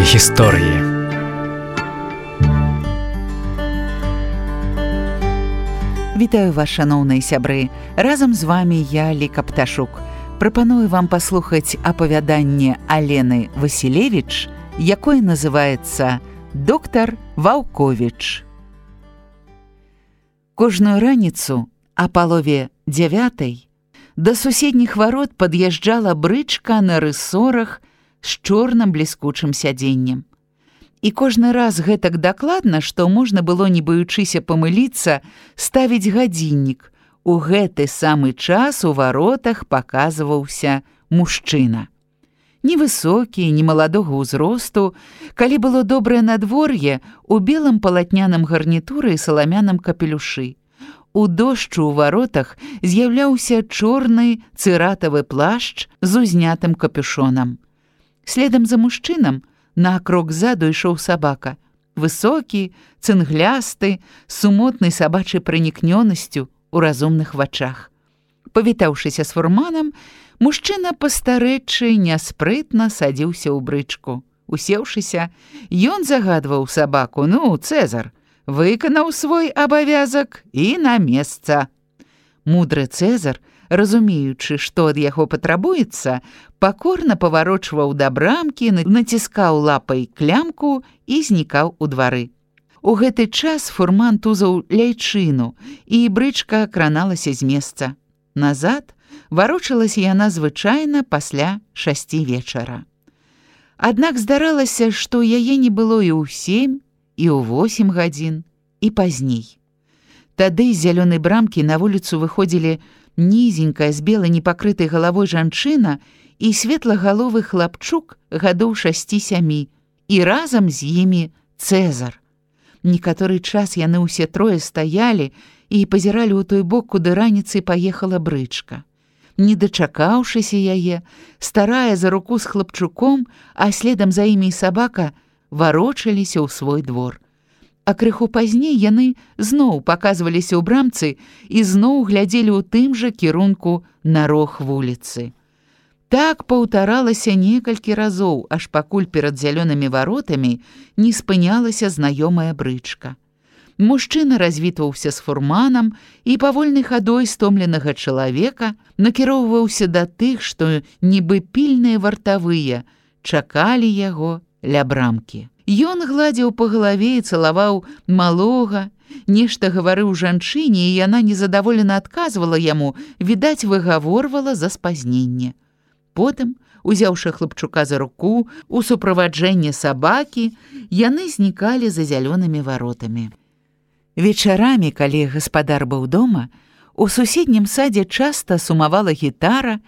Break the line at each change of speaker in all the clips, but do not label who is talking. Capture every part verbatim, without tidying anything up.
гісторыі.
Вітаю вас, шаноўныя сябры. Разам з вами я, Ліка Пташук. Прапаную вам паслухаць апавяданне Алены Васілевіч, якое называецца «Доктар Ваўковіч». Кожную раніцу а палове дзявятай да суседніх варот пад'язджала брычка на рысорах з чорным бліскучым сядзеннем. І кожны раз гэтак дакладна, што можна было, не баючыся памыліцца, ставіць гадзіннік. У гэты самы час у варотах паказваўся мужчына. Невысокі, немаладога ўзросту, калі было добрае надвор'е, у белым палатняным гарнітуры і саламяным капелюшы. У дождчу ў варотах з'яўляўся чорны цыратавы плашч з узнятым капюшонам. Следам за мужчынам на крок ззаду ішоў сабака, высокі, цынглясты, з сумотнай сабачай пранікнёнасцю у разумных вачах. Павітаўшыся з фурманам, мужчына пастарэчы няспрытна садзіўся ў брычку. Усеўшыся, ён загадваў сабаку: «Ну, Цэзар, выканаў свой абавязак і на месца». Мудры Цэзар, разумеючы, што ад яго патрабуецца, пакорна паварочваў да брамкі, націскаў лапай клямку і знікаў у двары. У гэты час фурман тузаў ляйчыну, і брычка краналася з месца. Назад варочалася яна звычайна пасля шасці вечара. Аднак здаралася, што яе не было і ў сем, і ў восем гадзін, і пазней. Тады з зялёнай брамкі на вуліцу выходзілі нізенькая з белай непакрытай галавой жанчына і светлагаловы хлапчук гадоў шасці-сямі, і разам з імі Цэзар. Некаторы час яны ўсе трое стаялі і пазіралі ў той бок, куды раніцай паехала брычка. Не дачакаўшыся яе, старая за руку з хлапчуком, а следам за імі і сабака варочаліся ў свой двор. А крыху пазней яны зноў паказваліся ў брамцы і зноў глядзелі ў тым жа кірунку на рог вуліцы. Так паўтаралася некалькі разоў, аж пакуль перад зялёнымі варотамі не спынялася знаёмая брычка. Мужчына развітваўся з фурманам і павольнай хадой стомленага чалавека накіроўваўся да тых, што нібы пільныя вартавыя чакалі яго ля брамкі. Ён гладзіў па галаве і цалаваў малога, нешта гаварыў жанчыне, і яна незадаволена адказвала яму, відаць, выгаворвала за спазненне. Потым, узяўшы хлапчука за руку, у суправаджэнні сабакі, яны знікалі за зялёнымі варотамі. Вечарамі, калі гаспадар быў дома, у суседнім садзе часта сумавала гітара,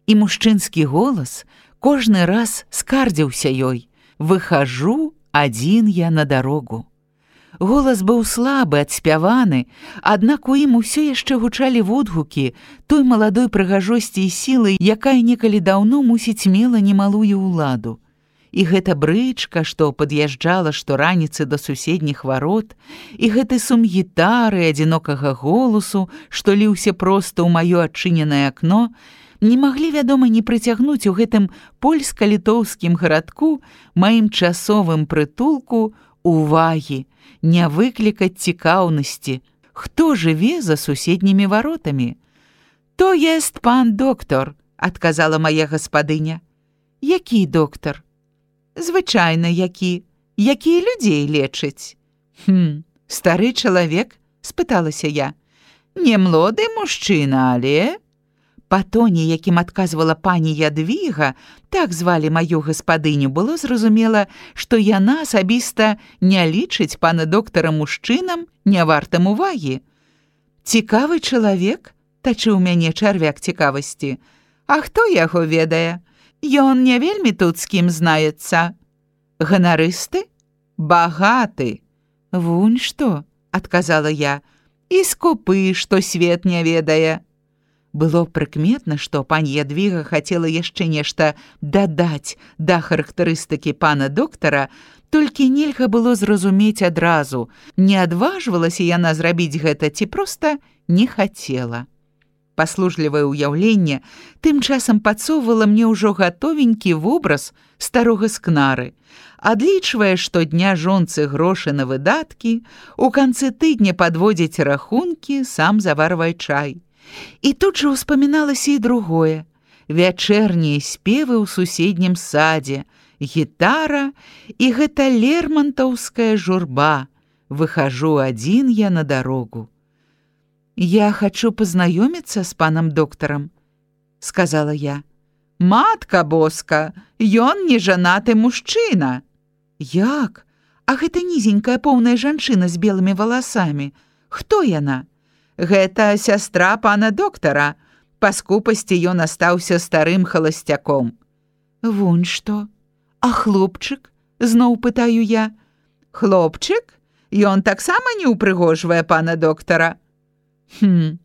і мужчынскі голас кожны раз скардзіўся ёй: «Выхажу адзін я на дарогу». Голас быў слабы, адспяваны, аднак у ім усё яшчэ гучалі водгукі той маладой прыгажосці і сілы, якая некалі даўно, мусіць, мела немалую ўладу. І гэта брычка, што пад'язджала штораніцы да суседніх варот, і гэты сум гітары, адзінокага голасу, што ліўся проста ў маё адчыненае акно, не маглі, вядома, не прыцягнуць у гэтым польска-літоўскім гарадку, маім часовым прытулку, увагі, не выклікаць цікаўнасці, хто жыве за суседнімі варотамі. «То ест пан доктор», – адказала мая гаспадыня. «Які доктор?» «Звычайна які, які людзей лечыць». «Хм, стары чалавек?» – спыталася я. «Не млоды мужчына, але...» Па тоне, якім адказвала пані Ядвіга, так звалі маю гаспадыню, было зразумела, што яна асабіста не лічыць пана доктара мужчынам, не вартым увагі. «Цікавы чалавек?» – тачыў мяне чарвяк цікавасці. «А хто яго ведае? Ён не вельмі тут з кім знаецца». «Ганарысты? Багаты». «Вунь што?» – адказала я. «І скупы, што свет не ведае». Было прыкметна, што пані Ядвіга хацела яшчэ нешта дадаць да характарыстыкі пана доктара, толькі нельга было зразумець адразу, не адважвалася яна зрабіць гэта ці проста не хацела. паслужлівае ўяўленне тым часам падсоўвала мне ўжо гатовенькі вобраз старога скнары, адлічвае штодня жонцы грошы на выдаткі, у канцы тыдня падводзіць рахункі, сам заварвае чай. І тут жа ўспаміналася і другое: вячэрнія спевы ў суседнім садзе, гітара і гэта лермантаўская журба. Выхожу адзін я на дарогу. «Я хочу познаёміцца з панам доктарам», — сказала я. «Матка боска, ён не жанаты мужчына». «Як? А гэта нізенькая поўная жанчына з белымі валасамі. Хто яна?» «Гэта сястра пана доктара. Па скупасці ён астаўся старым халасцяком». «Вунь што? А хлопчык?» — зноў пытаю я. «Хлопчык? Ён таксама не ўпрыгожвае пана доктара». «Хм,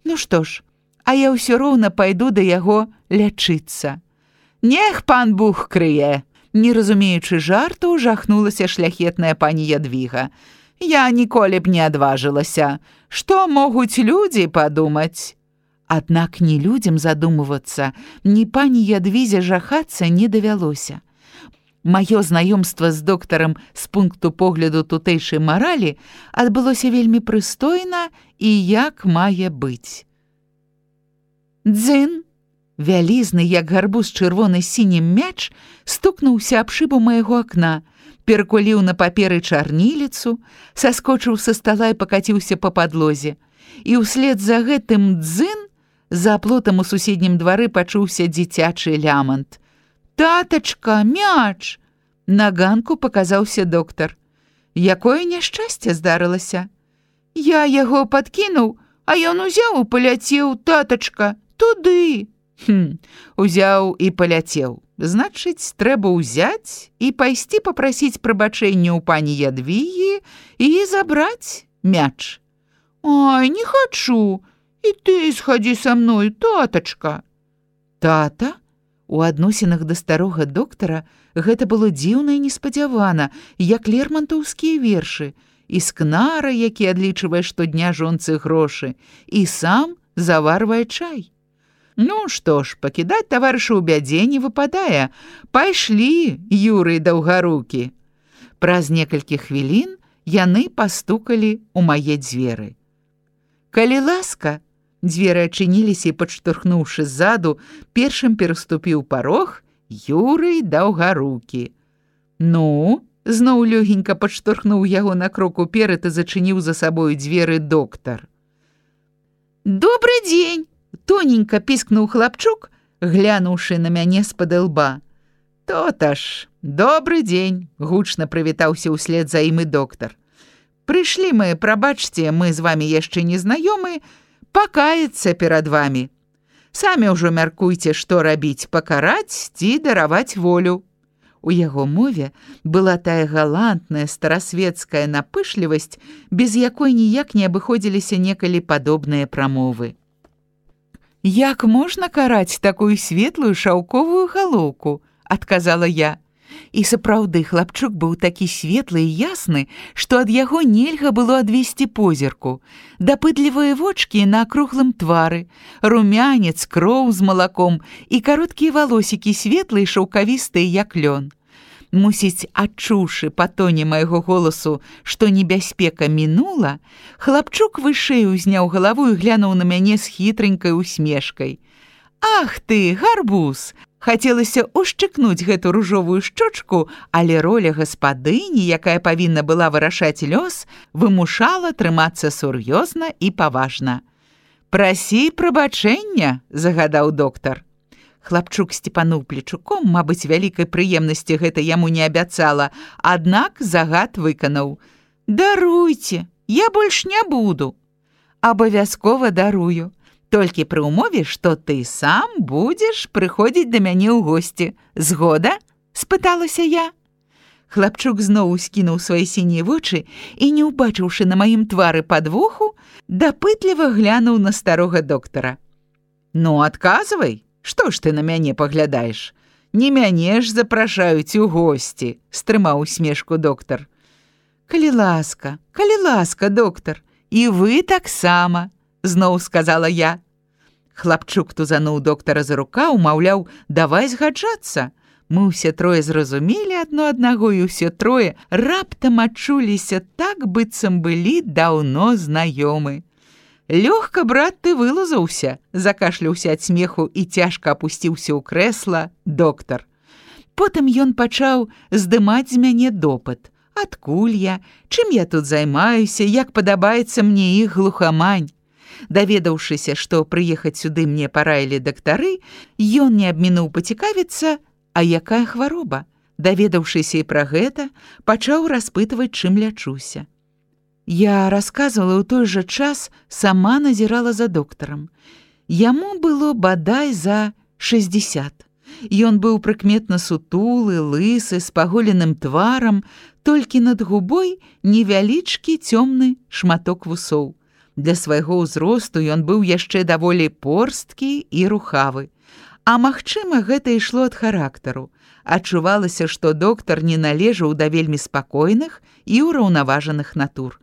ну што ж, а я ўсё роўна пайду да яго лячыцца». «Нех пан Бух крые!» Не разумеючы жарту, жахнулася шляхетная пані Ядвіга. «Я ніколі б не адважылася. Што могуць людзі падумаць?» Аднак ні людзям задумывацца, ні пані Ядвізе жахацца не давялося. Маё знаёмства з доктарам з пункту погляду тутэйшай маралі адбылося вельмі прыстойна і як мае быць. Дзын! Вялізны, як гарбуз чырвоны сінім мяч, стукнуўся аб шыбу майго акна, перакуліў на паперы чарніліцу, саскочыў са стала і пакаціўся па падлозе. І ўслед за гэтым дзын за плотам у суседнім двары пачуўся дзіцячы лямант. «Татачка, мяч!» На ганку паказаўся доктар. «Якое няшчасце здарылася?» «Я яго падкінуў, а ён узяў і паляцеў, татачка, туды». «Хм, узяў і паляцеў. Значыць, трэба ўзяць і пайсці папрасіць прабачэння ў пані Ядвігі і забраць мяч». «Ай, не хачу. І ты схадзі са мной, татачка». «Тата?» У адносінах да старога доктара гэта было дзіўна і неспадзявана, як лермантаўскія вершы, і скнара, які адлічвае штодня жонцы грошы, і сам заварвае чай. «Ну што ж, пакідаць таварыша ў бядзе не выпадае. Пайшлі, Юрый Даўгарукі». Праз некалькі хвілін яны пастукалі ў мае дзверы. «Калі ласка», дзверы адчыніліся і, падштурхнуўшы ззаду, першым пераступіў парог Юрый Даўгарукі. «Ну?» — зноў лёгенька падштурхнуў яго на крок уперад і зачыніў за сабою дзверы доктар. «Добры дзень!» — тоненька піскнуў хлапчук, глянуўшы на мяне з-пад лба. «То-то ж, добры дзень!» — гучна прывітаўся ўслед за ім і доктар. «Прышлі мы, прабачце, мы з вамі яшчэ не знаёмы, пакаяцца перад вамі. Самі ўжо мяркуйце, што рабіць, пакараць ці дараваць волю». У яго мове была тая галантная старасветская напышлівасць, без якой ніяк не абыходзіліся некалі падобныя прамовы. «Як можна караць такую светлую шаўковую галоўку?» — адказала я. І сапраўды хлапчук быў такі светлы і ясны, што ад яго нельга было адвесці позірку. Дапытлівыя вочкі на акруглым твары, румянец, кроў з малаком і кароткія валосікі светлыя і шаўкавістыя, як лён. Мусіць, адчуўшы па тоне майго голасу, што небяспека мінула, хлапчук вышэй узняў галаву і глянуў на мяне з хітранькай усмешкай. «Ах ты, гарбуз!» Хацелася ушчыкнуць гэту ружовую шчочку, але роля гаспадыні, якая павінна была вырашаць лёс, вымушала трымацца сур'ёзна і паважна. «Прасі прабачэння», — загадаў доктар. Хлапчук сціпануў плечуком, мабыць, вялікай прыемнасці гэта яму не абяцала, аднак загад выканаў. «Даруйце, я больш не буду». «Абавязкова дарую. Толькі пры ўмове, што ты сам будзеш прыходзіць да мяне ў госці. Згода?» — спыталася я. Хлапчук зноў скінуў свае сінія вочы і, не ўбачыўшы на маім твары падвоху, дапытліва глянуў на старога доктара. «Ну, адказвай, што ж ты на мяне паглядаеш? Не мяне ж запрашаюць у госці», — стрымаў усмешку доктар. «Калі ласка, калі ласка, доктар, і вы таксама», — зноў сказала я. Хлапчук тузануў доктара за рукаў, маўляў, давай згаджацца. Мы ўсе трое зразумелі адно аднаго, і ўсе трое раптам адчуліся так, быццам былі даўно знаёмы. «Лёгка, брат, ты вылузаўся», – закашляўся ад смеху і цяжка апусціўся ў крэсла доктар. Потым ён пачаў здымаць з мяне допыт. Адкуль я, чым я тут займаюся, як падабаецца мне іх глухамань. Даведаўшыся, што прыехаць сюды мне параілі дактары, ён не абмінуў пацікавіцца, а якая хвароба. Даведаўшыся і пра гэта, пачаў распытваць, чым лячуся. Я расказвала ў той жа час, сама назірала за доктарам. Яму было бадай за шэсцьдзесят. Ён быў прыкметна сутулы, лысы, з паголеным тварам, толькі над губой невялічкі цёмны шматок вусоў. Для свайго ўзросту ён быў яшчэ даволі порсткі і рухавы. А магчыма, гэта ішло ад характару. Адчувалася, што доктар не належаў да вельмі спакойных і ўраўнаважаных натур.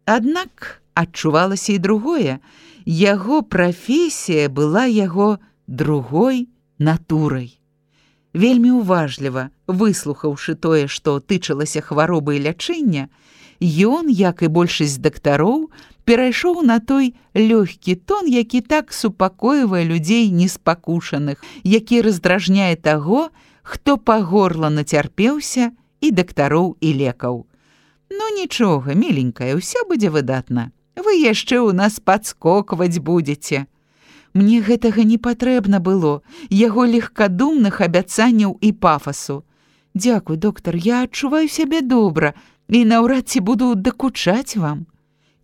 Аднак адчувалася і другое. Яго прафесія была яго другой натурай. Вельмі уважліва, выслухаўшы тое, што тычылася хваробы і лячэння, ён, як і большасць дактароў, перайшоў на той лёгкі тон, які так супакойвае людзей неспакушаных, які раздражняе таго, хто па горла нацярпеўся і дактароў, і лекаў. «Ну нічога, міленькая, ўсё будзе выдатна. Вы яшчэ ў нас падскокваць будзеце». Мне гэтага не патрэбна было, яго легкадумных абяцанняў і пафасу. «Дзякуй, доктар, я адчуваю сябе добра і наўрад ці буду дакучаць вам».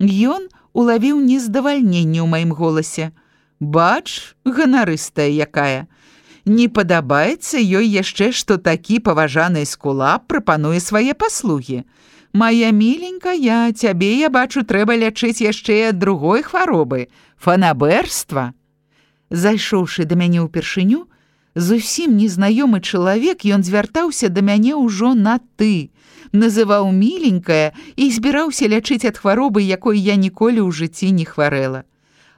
Ён улавіў нездавальненне ў маім голасе. «Бач, ганарыстая якая. Не падабаецца ёй яшчэ, што такі паважаны эскулап прапануе свае паслугі. Мая міленькая, цябе, я бачу, трэба лячыць яшчэ і ад другой хваробы – фанабэрства». Зайшоўшы да мяне ўпершыню, зусім незнаёмы чалавек, ён звяртаўся да мяне ўжо на «ты», называў міленькая і збіраўся лячыць ад хваробы, якой я ніколі ў жыцці не хварэла.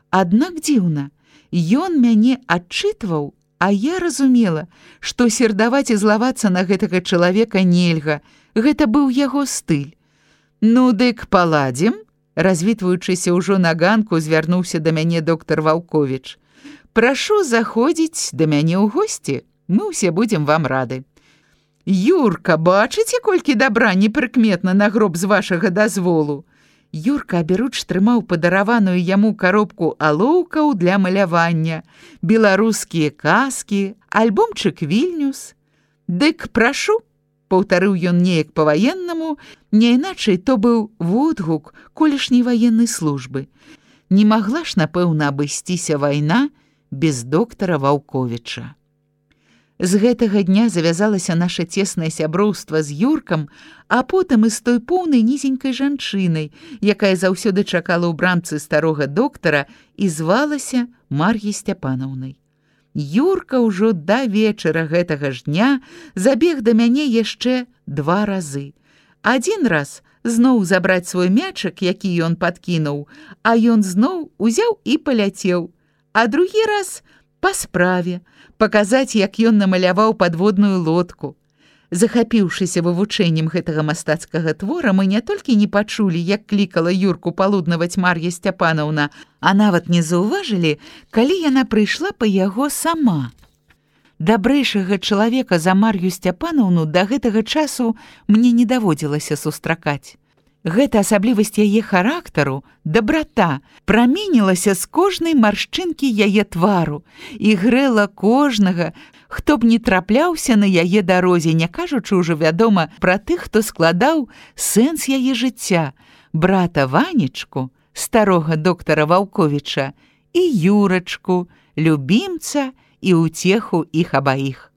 Аднак дзіўна, ён мяне адчытваў, а я разумела, што сердаваць і злавацца на гэтага чалавека нельга, гэта быў яго стыль. «Ну, дык паладзім?» Развітваючыся ўжо на ганку, звярнуўся да мяне доктар Ваўковіч. «Прашу заходзіць да мяне ў госці, мы ўсе будзем вам рады». «Юрка, бачыце, колькі дабра непрыкметна на гроб з вашага дазволу?» Юрка аберуч трымаў падараваную яму коробку алоўкаў для малявання, беларускія казкі, альбомчык «Вільнюс». «Дык прашу», паўтарыў ён неяк па-ваеннаму, не іначай то быў водгук колішняй ваеннай службы. Не магла ж, напэўна, абысціся вайна без доктара Ваўковіча. З гэтага дня завязалася наша цеснае сяброўства з Юркам, а потым і з той поўнай нізенькай жанчынай, якая заўсёды чакала ў брамцы старога доктара і звалася Мар'яй Сцяпанаўнай. Юрка ўжо да вечара гэтага ж дня забег да мяне яшчэ два разы. Адзін раз зноў забраць свой мячык, які ён падкінуў, а ён зноў узяў і паляцеў, а другі раз па справе, паказаць, як ён намаляваў падводную лодку. Захапіўшыся вывучэннем гэтага мастацкага твора, мы не толькі не пачулі, як клікала Юрку палуднаваць Мар'я Сцяпанаўна, а нават не заўважылі, калі яна прыйшла па яго сама. Дабрэйшага чалавека за Мар'ю Сцяпанаўну да гэтага часу мне не даводзілася сустракаць. Гэта асаблівасць яе характару, дабрата, праменілася з кожнай маршчынкі яе твару і грэла кожнага, хто б не трапляўся на яе дарозе, не кажучы ўжо, вядома, пра тых, хто складаў сэнс яе жыцця, брата Ванечку, старога доктара Ваўковіча, і Юрачку, любімца і ўцеху іх абаіх.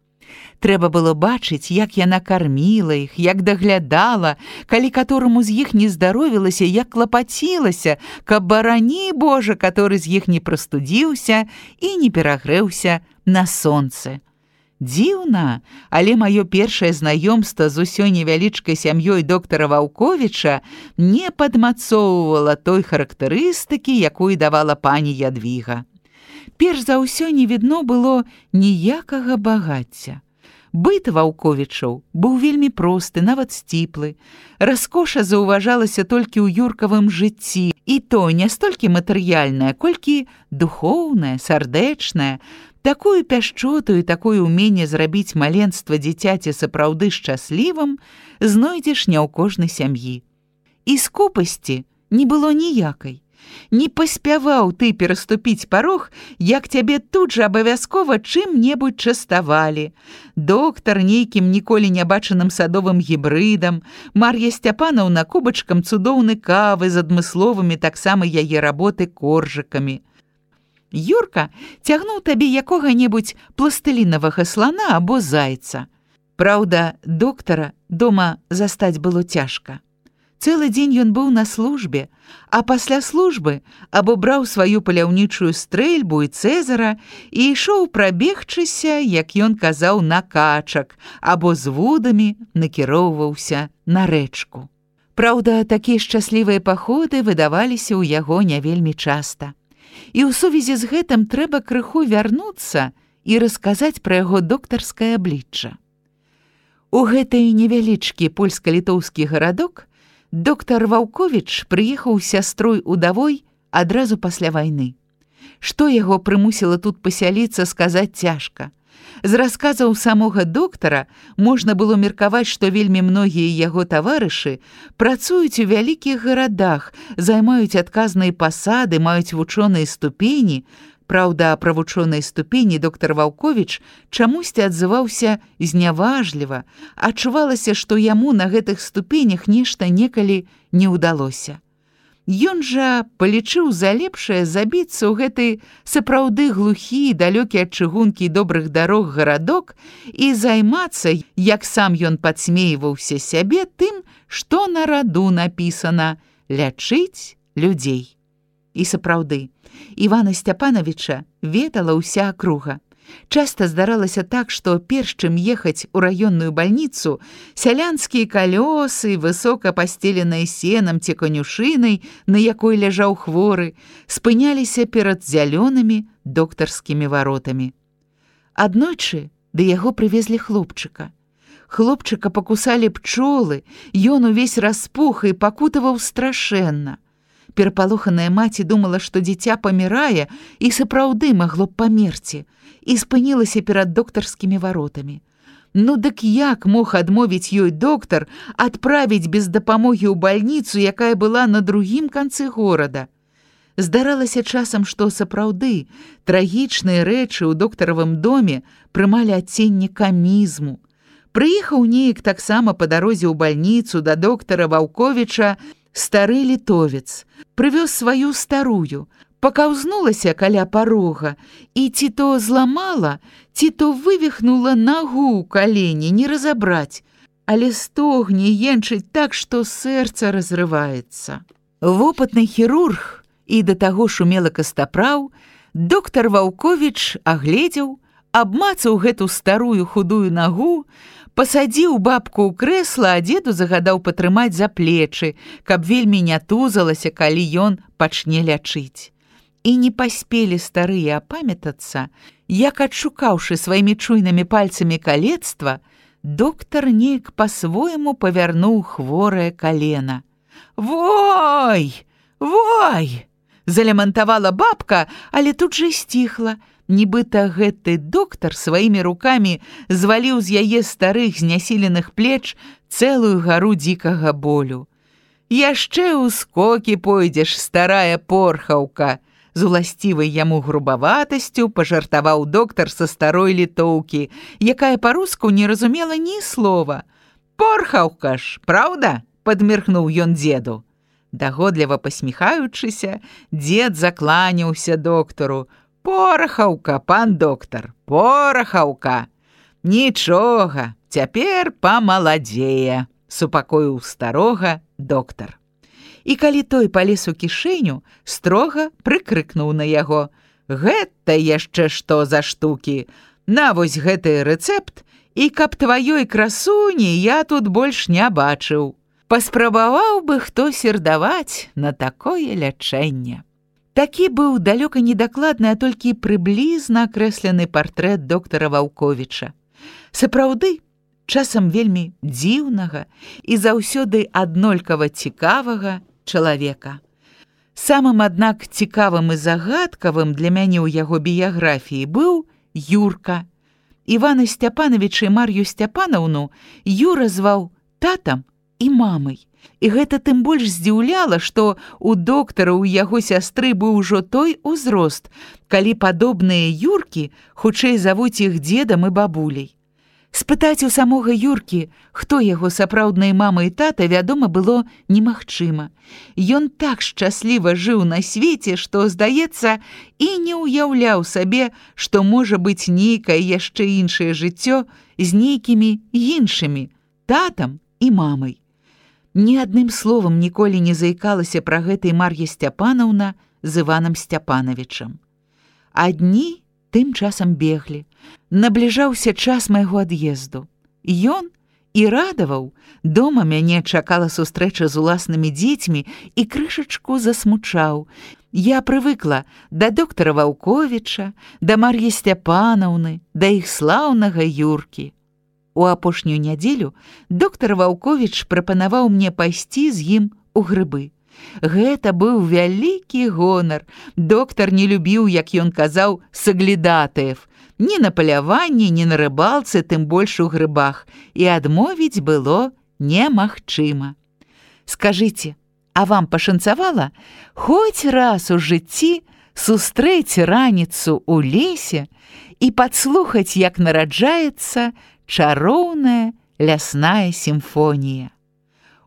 Трэба было бачыць, як яна карміла іх, як даглядала, калі катораму з іх не здаровілася, як клапацілася, каб, барані Божа, каторы з іх не прастудзіўся і не перагрэўся на сонцы. Дзіўна, але маё першае знаёмства з усёй невялічкай сям'ёй доктара Ваўковіча не падмацоўвала той характарыстыкі, якую давала пані Ядвіга. Перш за ўсё не відно было ніякага багацця. Быт Ваўковічаў быў вельмі просты, нават сціплы. Раскоша заўважалася толькі ў юркавым жыцці, і то не столькі матэрыяльнае, колькі духоўнае, сардэчнае. Такую пяшчоту і такое ўменне зрабіць маленства дзіцяці сапраўды шчаслівым знойдзеш не ў кожнай сям'і. І скупасці не было ніякай. Не паспяваў ты пераступіць парог, як цябе тут жа абавязкова чым-небудзь частавалі. Доктар нейкім ніколі не бачаным садовым гібрыдам, Мар'я Сцяпанаўна кубачкам цудоўнай кавы з адмысловымі таксама яе работы коржыкамі. Юрка цягнуў табе якога-небудзь пластылінавага слана або зайца. Праўда, доктара дома застаць было цяжка. Цэлы дзень ён быў на службе, а пасля службы або браў сваю паляўнічую стрэльбу і цэзара і ішоў прабегчыся, як ён казаў, на качак, або з вудамі накіроўваўся на рэчку. Праўда, такія шчаслівыя паходы выдаваліся ў яго не вельмі часта. І ў сувязі з гэтым трэба крыху вярнуцца і расказаць пра яго доктарскае аблічча. У гэты невялічкі польска-літоўскі гарадок доктар Ваўковіч прыехаў з сястрой удавой адразу пасля вайны. Што яго прымусіла тут пасяліцца, сказаць цяжка. З расказаў самога доктара можна было меркаваць, што вельмі многія яго таварышы працуюць у вялікіх гарадах, займаюць адказныя пасады, маюць вучоныя ступені. Праўда, пра вучоныя ступені доктар Ваўковіч чамусьці адзываўся зняважліва, адчувалася, што яму на гэтых ступенях нешта некалі не ўдалося. Ён жа палічыў за лепшае забіцца ў гэты сапраўды глухі, далёкі ад чыгункі і добрых дарог гарадок і займацца, як сам ён падсмейваўся сябе, тым, што на раду напісана «лячыць людзей». І сапраўды, Івана Сцяпанавіча ведала ўся акруга. Часта здаралася так, што перш чым ехаць у раённую бальніцу, сялянскія калёсы, высока пастеленыя сенам ці канюшынай, на якой ляжаў хворы, спыняліся перад зялёнымі доктарскімі варотамі. Аднойчы да яго прывезлі хлопчыка. Хлопчыка пакусалі пчолы, ён увесь распух і пакутаваў страшэнна. Перапалоханая маці думала, што дзіця памірае і сапраўды магло б памерці, і спынілася перад доктарскімі варотамі. Ну дык як мог адмовіць ёй доктар адправіць без дапамогі ў бальніцу, якая была на другім канцы горада? Здаралася часам, што сапраўды трагічныя рэчы ў доктаравым доме прымалі адценне камізму. Прыехаў неяк таксама па дарозе ў бальніцу да доктара Ваўковіча стары літовец, прывёз сваю старую, пакаўзнулася каля парога і ці то зламала, ці то вывіхнула нагу ў калені, не разабраць, але стогне енчыць так, што сэрца разрываецца. Вопытны хірург і да таго ж умелы кастапраў, доктар Ваўковіч агледзеў, абмацаў гэту старую худую нагу, пасадзіў бабку ў крэсла, а дзеду загадаў патрымаць за плечы, каб вельмі не тузалася, калі ён пачне лячыць. І не паспелі старыя апамятацца, як адшукаўшы сваімі чуйнымі пальцамі калецтва, доктар неяк па-свойму павярнуў хворае калена. «Вой! Вой!» залямантавала бабка, але тут жа сціхла. Нібыта гэты доктар сваімі рукамі зваліў з яе старых знясіленых плеч цэлую гару дзікага болю. «Яшчэ ў скокі пойдзеш, старая порхаўка!» з уласцівай яму грубаватасцю пажартаваў доктар са старой літоўкі, якая па-руску не разумела ні слова. «Порхаўка ж, праўда?» – падмірхнуў ён дзеду. Дагодліва пасміхаючыся, дзед закланяўся доктару. «Порахаўка, пан доктар, порахаўка! Нічога, цяпер памаладзее!» – супакоіў старога доктар. І калі той палез у кішэню, строга прыкрыкнуў на яго. «Гэта яшчэ што за штукі? На вось гэты рэцэпт, і каб тваёй красуні я тут больш не бачыў. Паспрабаваў бы хто сердаваць на такое лячэнне». Такі быў далёка недакладны, а толькі прыблізна акрэслены партрэт доктара Ваўковіча. Сапраўды, часам вельмі дзіўнага і заўсёды аднолькава цікавага чалавека. Самым, аднак, цікавым і загадкавым для мяне ў яго біяграфіі быў Юрка. Івана Сцяпановича і Мар'ю Сцяпанаўну Юра зваў татам і мамай. І гэта тым больш здзіўляла, што у доктара ў яго сястры быў ужо той узрост, калі падобныя Юркі хутчэй завуць іх дзедам і бабуляй. Спытаць у самога Юркі, хто яго сапраўдныя мама і тата, вядома, было немагчыма. Ён так шчасліва жыў на свеце, што, здаецца, і не ўяўляў сабе, што можа быць нейкае яшчэ іншае жыццё з нейкімі іншымі татам і мамай. Ні адным словам ніколі не заікалася пра гэта і Мар'я Сцяпанаўна з Іванам Сцяпановичам. А дні тым часам беглі. Набліжаўся час майго ад'езду. Ён і радаваў. Дома мяне чакала сустрэча з уласнымі дзецьмі і крышачку засмучаў. Я прывыкла да доктара Ваўковіча, да Мар'і Сцяпанаўны, да іх слаўнага Юркі. У апошнюю нядзелю доктар Ваўковіч прапанаваў мне пайсці з ім у грыбы. Гэта быў вялікі гонар. Доктар не любіў, як ён казаў, саглядатаев. Ні на паляванні, ні на рыбалцы, тым больш у грыбах. І адмовіць было немагчыма. Скажыце, а вам пашанцавала хоць раз у жыцці сустрэць раніцу ў лесе і падслухаць, як нараджаецца чароўная лясная сімфонія?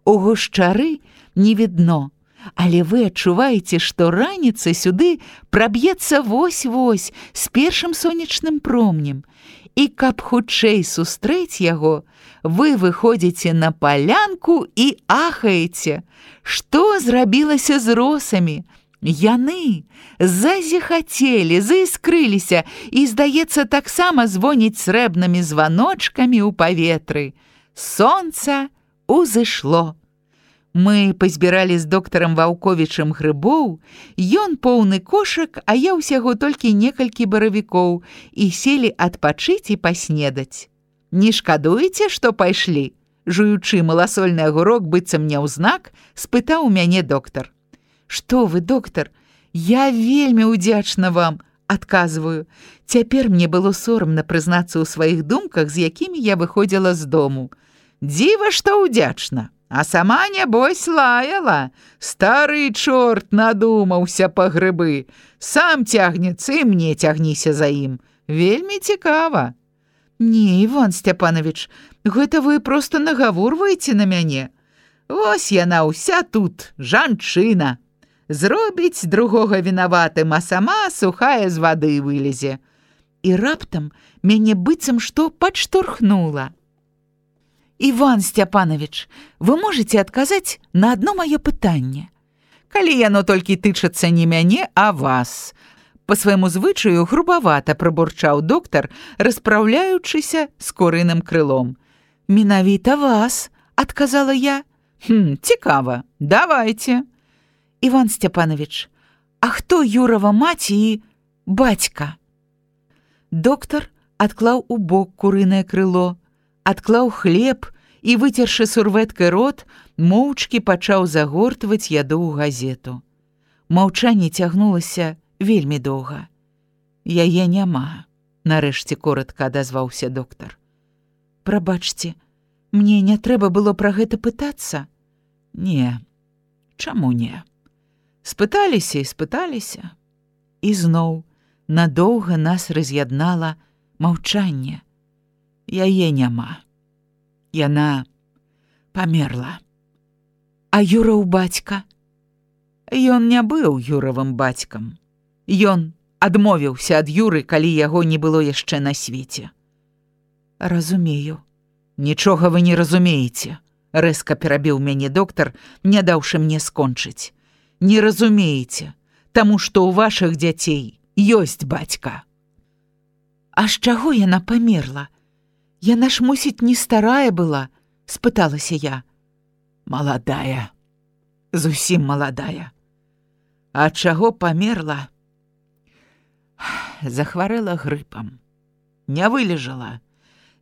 У гушчары не відно, але вы адчуваеце, што раніца сюды праб'ецца вось-вось з першым сонечным промнем. І каб хутчэй сустрэць яго, вы выходзіце на палянку і ахаеце. Што зрабілася з росамі? Яны зазіхацелі, заіскрыліся і, здаецца, таксама звоніць срэбнымі званочкамі ў паветры. Сонца узышло. Мы пазбіралі з доктарам Ваўковічам грыбоў, ён поўны кошак, а я ўсяго толькі некалькі баравікоў, і селі адпачыць і паснедаць. Не шкадуеце, што пайшлі? Жуючы маласольны агурок быццам няўзнак, спытаў у мяне доктар. Што вы, доктар, я вельмі ўдзячна вам, адказваю. Цяпер мне было сорамна прызнацца ў сваіх думках, з якімі я выходзіла з дому. Дзіва, што ўдзячна. А сама, нябось, лаяла. Стары чорт надумаўся па грыбы. Сам цягнецца, і мне цягніся за ім. Вельмі цікава. Не, Іван Сцяпанович, гэта вы проста нагаворваеце на мяне. Вось яна ўся тут, жанчына. Зробіць другога вінаватым, а сама сухая з вады вылезе. І раптам мяне быццам што падштурхнула. Іван Сцяпанович, вы можете адказаць на адно маё пытанне? Калі яно толькі тычацца не мяне, а вас. Па свайму звычаю грубавата прабурчаў доктар, распраўляючыся з курыным крылом. Менавіта вас, адказала я. Хм, цікава, давайте. Іван Сцяпанович, а хто Юрова маці і бацька? Доктар адклаў у бок курынае крыло, адклаў хлеб і, выцершы сурвэткай рот, моўчкі пачаў загортваць яду ў газету. Маўчанне цягнулася вельмі доўга. Яе няма, нарэшце коратка адазваўся доктар. Прабачце, мне не трэба было пра гэта пытацца? Не, чаму не? Спыталіся і спыталіся. І зноў надоўга нас раз'яднала маўчанне. Яе няма. Яна памерла. А Юраў бацька? Ён не быў Юравым бацькам. Ён адмовіўся ад Юры, калі яго не было яшчэ на свеце. Разумею. Нічога вы не разумееце, рэзка перабіў мяне доктар, не даўшы мне скончыць. Не разумееце, таму што ў вашых дзяцей ёсць бацька. А з чаго яна памерла? Яна ж, мусіць, не старая была, спыталася я. Маладая, зусім маладая. ад чаго памерла? Захварэла грыпам, не вылежала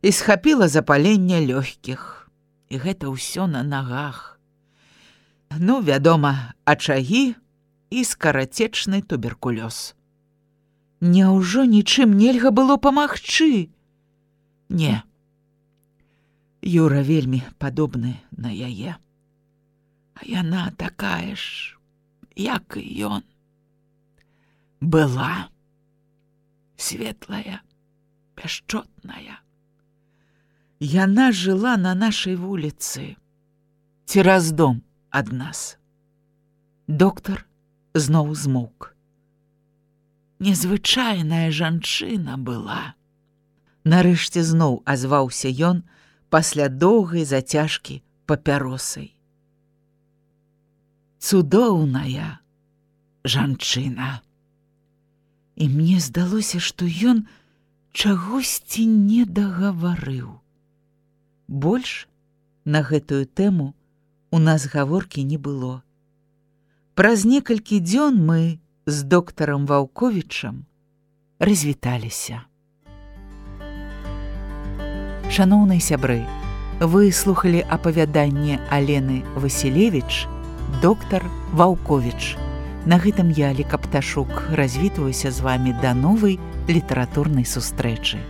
і схапіла запаленне лёгкіх. І гэта ўсё на нагах. Ну, вядома, ачагі і скарацечны туберкулёз. Няўжо нічым нельга было памагчы? Не. Юра вельмі падобны на яе. А яна такая ж, як і ён. Была светлая, пяшчотная. Яна жыла на нашай вуліцы, цераз дом ад нас. Доктар зноў змоўк. Незвычайная жанчына была. Нарэшце зноў азваўся ён пасля доўгай зацяжкі папяросай. Цудоўная жанчына. І мне здалося, што ён чагосьці не дагаварыў. Больш на гэтую тэму у нас гаворкі не было. Праз некалькі дзён мы з доктарам Ваўковічам развіталіся. Шаноўныя сябры, вы слухалі апавяданне Алены Васілевіч «Доктар Ваўковіч». На гэтым я, Ліка Пташук, развітваюся з вамі да новай літаратурнай сустрэчы.